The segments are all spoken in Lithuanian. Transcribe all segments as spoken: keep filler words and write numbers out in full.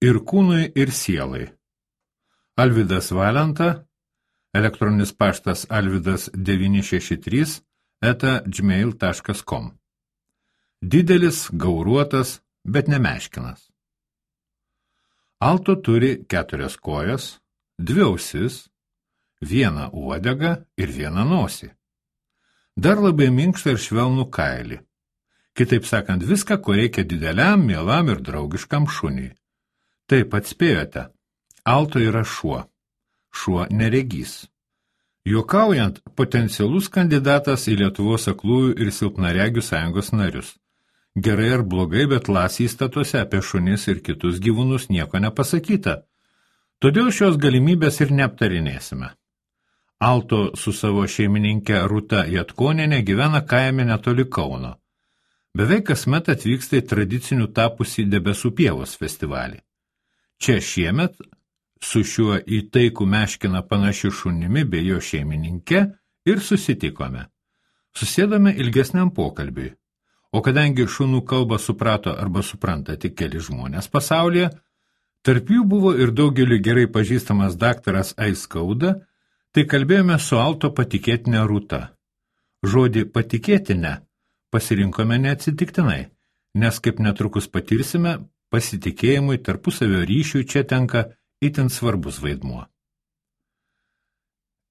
ir kūnui, ir sielai. Alvydas Valenta, elektroninis paštas alvydas devyni šeši trys eta gmail taškas com. Didelis, gauruotas, bet nemeškinas. Alto turi keturias kojas, dvi ausis, vieną uodegą ir vieną nosį. Dar labai minkštą ir švelnų kailį. Kitaip sakant, viską, ko reikia dideliam, mielam ir draugiškam šuniui. Taip atspėjote, Alto yra šuo. Šuo neregys. Juokaujant, potencialus kandidatas į Lietuvos aklųjų ir silpnaregių sąjungos narius. Gerai ar blogai, bet Lasy įstatuose apie šunis ir kitus gyvūnus nieko nepasakyta. Todėl šios galimybės ir neaptarinėsime. Alto su savo šeimininke Rūta Jatkonienė gyvena kaime netoli Kauno. Beveik kasmet atvyksta į tradicinių tapusį Debesų pievos festivalį. Čia šiemet su šiuo į taikų meškiną panašiu šunimi bei jo šeimininke ir susitikome. Susėdome ilgesniam pokalbiui, o kadangi šunų kalbą suprato arba supranta tik keli žmonės pasaulyje, tarp jų buvo ir daugeliu gerai pažįstamas daktaras Aiskauda, tai kalbėjome su Alto patikėtinė Rūta. Žodį patikėtinę pasirinkome neatsitiktinai, nes kaip netrukus patirsime, pasitikėjimui tarpusavio ryšiui čia tenka itin svarbus vaidmuo.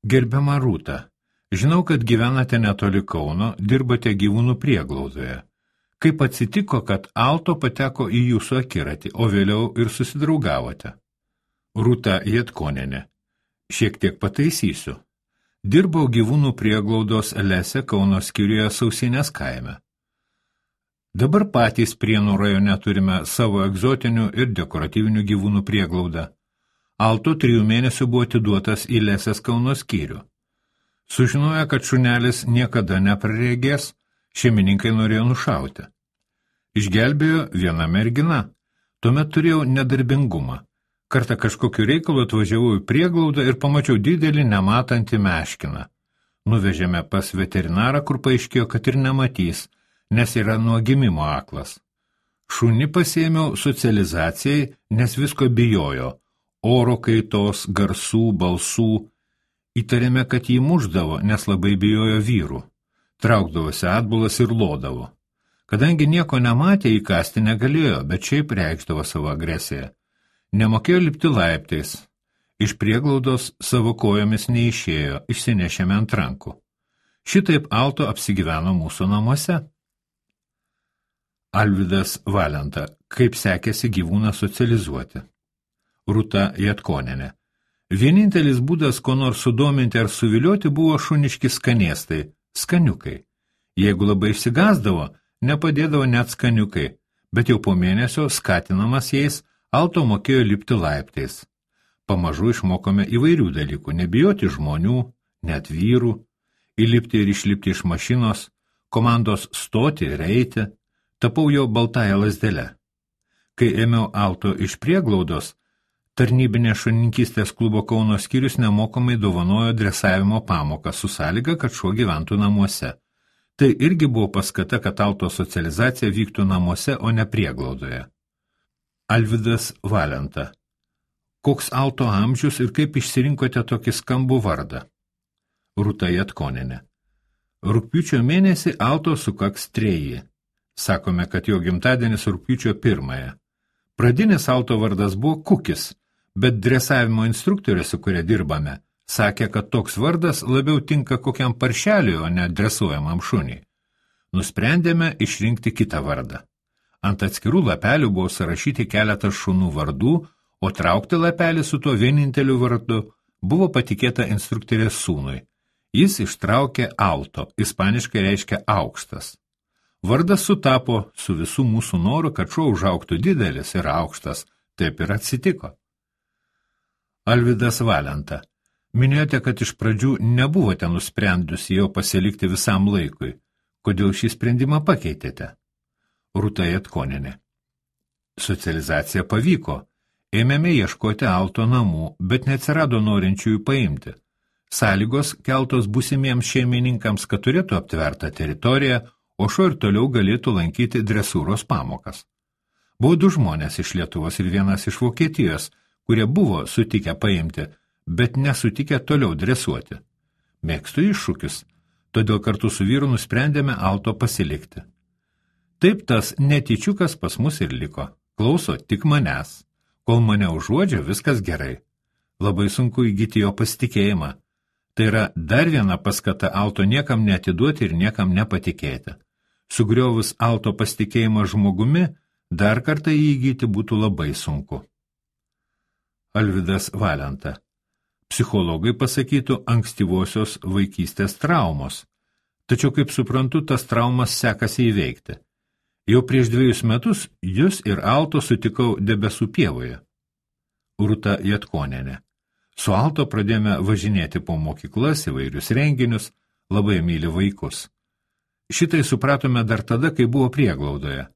Gerbiama Rūta, žinau, kad gyvenate netoli Kauno, dirbate gyvūnų prieglaudoje. Kaip atsitiko, kad Alto pateko į jūsų akiratį, o vėliau ir susidraugavote? Rūta Jatkonienė. Šiek tiek pataisysiu. Dirbau gyvūnų prieglaudos Lese Kauno skyriuje Sausinės kaime. Dabar patys Prienų rajone turime savo egzotinių ir dekoratyvinių gyvūnų prieglaudą. Alto trijų mėnesių buvo atiduotas į Lesės Kauno skyrių. Sužinoję, kad šunelis niekada nepraregės, šeimininkai norėjo nušauti. Išgelbėjo viena mergina. Tuomet turėjau nedarbingumą. Kartą kažkokiu reikalu atvažiavau į prieglaudą ir pamačiau didelį nematantį meškiną. Nuvežėme pas veterinarą, kur paaiškėjo, kad ir nematys, nes yra nuo gimimo aklas. Šunį pasiėmiau socializacijai, nes visko bijojo. Oro kaitos, garsų, balsų. Įtarėme, kad jį muždavo, nes labai bijojo vyrų. Traukdavosi atbulas ir lodavo. Kadangi nieko nematė, įkasti negalėjo, bet šiaip reikšdavo savo agresiją. Nemokėjo lipti laiptais. Iš prieglaudos savo kojomis neišėjo, išsinešėme ant rankų. Šitaip Alto apsigyveno mūsų namuose. Alvydas Valenta. Kaip sekėsi gyvūną socializuoti? Rūta Jatkonienė. Vienintelis būdas, ko nors sudominti ar suvilioti, buvo šuniški skanėstai, skaniukai. Jeigu labai išsigasdavo, nepadėdavo net skaniukai, bet jau po mėnesio, skatinamas jais, Alto mokėjo lipti laiptais. Pamažu išmokome įvairių dalykų, nebijoti žmonių, net vyrų, įlipti ir išlipti iš mašinos, komandos stoti ir eiti, tapau jo baltąją lazdelę. Kai ėmiau Alto iš prieglaudos, tarnybinė šunininkystės klubo Kauno skyrius nemokamai dovanojo dresavimo pamoką su sąlyga, kad šuo gyventų namuose. Tai irgi buvo paskata, kad Alto socializacija vyktų namuose, o ne prieglaudoje. Alvydas Valenta. Koks Alto amžius ir kaip išsirinkote tokį skambų vardą? Rūta Jatkonienė. Rugpjūčio mėnesį Alto sukaks treji. Sakome, kad jo gimtadienis rugpjūčio pirmąją. Pradinis Alto vardas buvo Kukis, bet dresavimo instruktorė, su kuria dirbame, sakė, kad toks vardas labiau tinka kokiam paršeliui, o ne dresuojamam šuniui. Nusprendėme išrinkti kitą vardą. Ant atskirų lapelių buvo surašyti keletas šunų vardų, o traukti lapelį su tuo vieninteliu vardu buvo patikėta instruktorės sūnui. Jis ištraukė Alto, ispaniškai reiškia aukštas. Vardas sutapo su visų mūsų noru, kad šuo užaugtų didelis ir aukštas. Taip ir atsitiko. Alvydas Valenta. Minėjote, kad iš pradžių nebuvote nusprendusi jau pasilikti visam laikui. Kodėl šį sprendimą pakeitėte? Rūta Jatkonienė. Socializacija pavyko. Ėmėme ieškoti Alto namų, bet neatsirado norinčiųjų paimti. Sąlygos keltos būsimiems šeimininkams, kad turėtų aptvertą teritoriją, o šuo ir toliau galėtų lankyti dresūros pamokas. Buvo du žmonės iš Lietuvos ir vienas iš Vokietijos, kurie buvo sutikę paimti, bet nesutikę toliau dresuoti. Mėgstu iššūkius, todėl kartu su vyru nusprendėme Alto pasilikti. Taip tas netyčiukas pas mus ir liko. Klauso tik manęs. Kol mane užuodžia, viskas gerai. Labai sunku įgyti jo pasitikėjimą. Tai yra dar viena paskata Alto niekam neatiduoti ir niekam nepatikėti. Sugriovus Alto pasitikėjimą žmogumi, dar kartą jį įgyti būtų labai sunku. Alvydas Valenta. Psichologai pasakytų ankstyvosios vaikystės traumos. Tačiau, kaip suprantu, tas traumas sekasi įveikti. Jau prieš dviejus metus jūs ir Alto sutikau debesų pievoje. Rūta Jatkonienė. Su Alto pradėjome važinėti po mokyklas, įvairius renginius, labai myli vaikus. Šitai supratome dar tada, kai buvo prieglaudoje.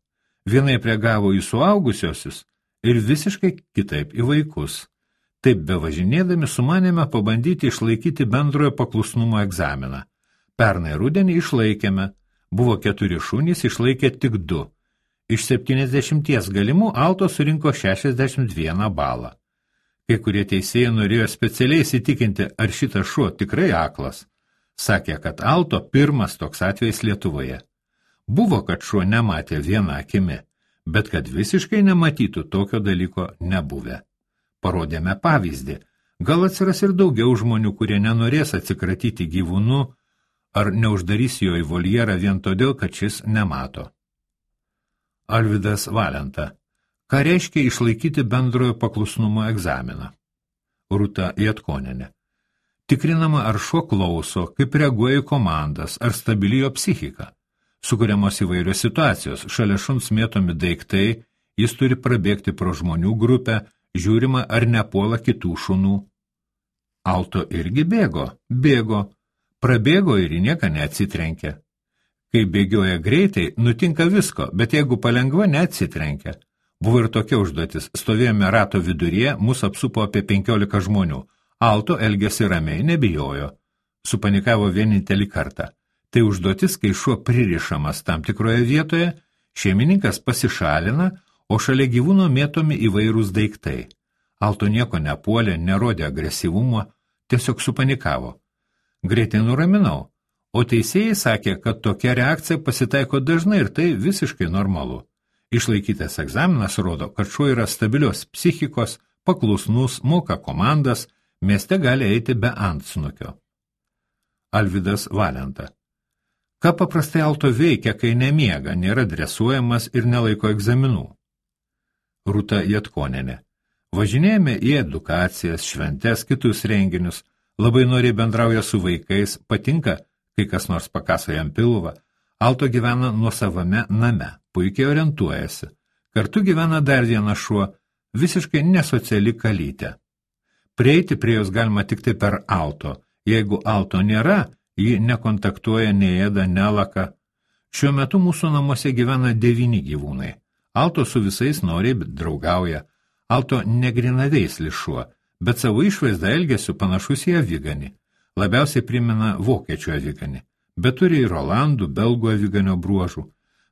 Vienaip reagavo į suaugusiosius ir visiškai kitaip į vaikus. Taip bevažinėdami sumanėme pabandyti išlaikyti bendrojo paklusnumo egzaminą. Pernai rudenį išlaikėme. Buvo keturi šunys, išlaikė tik du. Iš septyniasdešimties galimų Alto surinko šešiasdešimt vieną balą. Kai kurie teisėjai norėjo specialiai įsitikinti, ar šitas šuo tikrai aklas. Sakė, kad Alto pirmas toks atvejis Lietuvoje. Buvo, kad šuo nematė vieną akimi, bet kad visiškai nematytų tokio dalyko nebuvę. Parodėme pavyzdį. Gal atsiras ir daugiau žmonių, kurie nenorės atsikratyti gyvūnu, ar neuždarys jo į voljerą vien todėl, kad šis nemato. Alvydas Valenta. Ką reiškia išlaikyti bendrojo paklusnumo egzaminą? Rūta Jatkonienė. Tikrinama, ar šuo klauso, kaip reaguoja į komandas, ar stabili jo psichika. Sukuriamos įvairios situacijos, šalia šuns mėtomi daiktai, jis turi prabėgti pro žmonių grupę, žiūrima, ar nepuola kitų šunų. Alto irgi bėgo, bėgo. Prabėgo ir į nieką neatsitrenkė. Kai bėgioja greitai, nutinka visko, bet jeigu palengva neatsitrenkia. Buvo ir tokia užduotis. Stovėjome rato viduryje, mus apsupo apie penkiolika žmonių. Alto elgėsi ramiai, nebijojo. Supanikavo vienintelį kartą. Tai užduotis, kai šuo pririšamas tam tikroje vietoje, šeimininkas pasišalina, o šalia gyvūno mėtomi įvairūs daiktai. Alto nieko nepuolė, nerodė agresyvumo, tiesiog supanikavo. Greitai nuraminau, o teisėjai sakė, kad tokia reakcija pasitaiko dažnai ir tai visiškai normalu. Išlaikytas egzaminas rodo, kad šuo yra stabilios psichikos, paklusnus, moka komandas, mieste gali eiti be antsnukio. Alvydas Valenta. Ką paprastai Alto veikia, kai nemiega, nėra dresuojamas ir nelaiko egzaminų? Rūta Jatkonienė. Važinėjame į edukacijas, šventes, kitus renginius, labai noriai bendrauja su vaikais, patinka, kai kas nors pakaso jam pilvą. Alto gyvena nuosavame name, puikiai orientuojasi. Kartu gyvena dar vienas šuo, visiškai nesociali kalytė. Prieiti prie jos galima tik tai per Alto. Jeigu Alto nėra, ji nekontaktuoja, neėda, nelaka. Šiuo metu mūsų namuose gyvena devyni gyvūnai. Alto su visais noriai draugauja. Alto negrinaveislis šuo, bet savo išvaizdą elgesiu panašus į aviganį. Labiausiai primena vokiečių aviganį, bet turi ir olandų, belgų aviganio bruožų.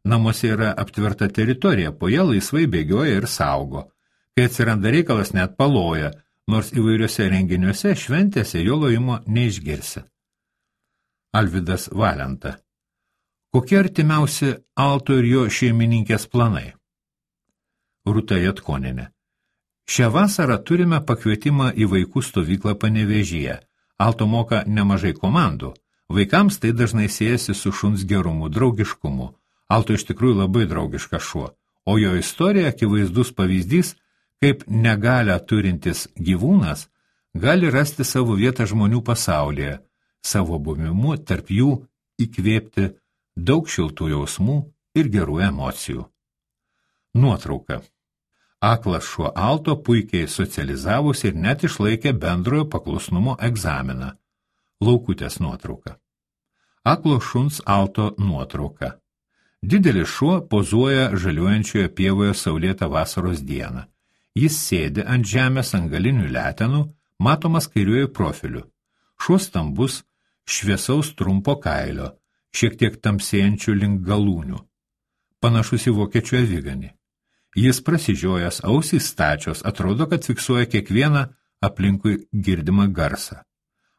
Namuose yra aptverta teritorija, po ją laisvai bėgioja ir saugo. Kai atsiranda reikalas, net paloja, nors įvairiuose renginiuose šventėse jo lojimo neišgirsi. Alvydas Valenta. Kokie artimiausi Alto ir jo šeimininkės planai? Rūta Jatkonienė. Šią vasarą turime pakvietimą į vaikų stovyklą Panevėžyje. Alto moka nemažai komandų. Vaikams tai dažnai siejasi su šuns gerumu, draugiškumu. Alto iš tikrųjų labai draugiškas šuo, o jo istorija akivaizdus pavyzdys, kaip negalią turintis gyvūnas gali rasti savo vietą žmonių pasaulyje, savo buvimu tarp jų įkvėpti daug šiltų jausmų ir gerų emocijų. Nuotrauka. Aklas šuo Alto puikiai socializavosi ir net išlaikė bendrojo paklusnumo egzaminą. Laukutės nuotrauka. Aklo šuns Alto nuotrauka. Didelis šuo pozuoja žaliuojančioje pievoje saulėtą vasaros dieną. Jis sėdi ant žemės ant galinių letenų, matomas kairiuoju profiliu. Šuo stambus, šviesaus trumpo kailio, šiek tiek tamsėjančių link galūnių. Panašus į vokiečių aviganį. Jis prasižiojęs, ausys stačios, atrodo, kad fiksuoja kiekvieną aplinkui girdimą garsą.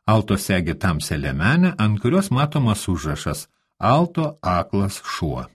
Alto segi tamsią liemenę, ant kurios matomas užrašas Alto aklas šuo.